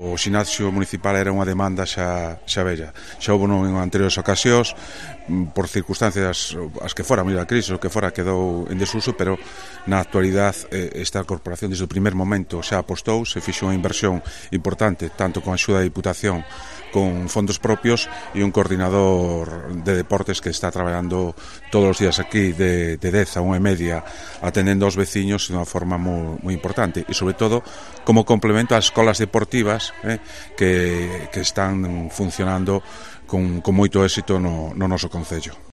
O xinasio municipal era unha demanda xa vella. Xa houve en anteriores ocasións, por circunstancias as que fora, mira a crise, o que fora quedou en desuso, pero na actualidade esta corporación desde o primer momento xa apostou, se fixo unha inversión importante, tanto con a axuda da Diputación, con fondos propios e un coordinador de deportes que está traballando todos os días aquí de 10 a 1:30 atendendo aos veciños de unha forma moi importante e sobre todo como complemento ás escolas deportivas que están funcionando con moito éxito no noso concello.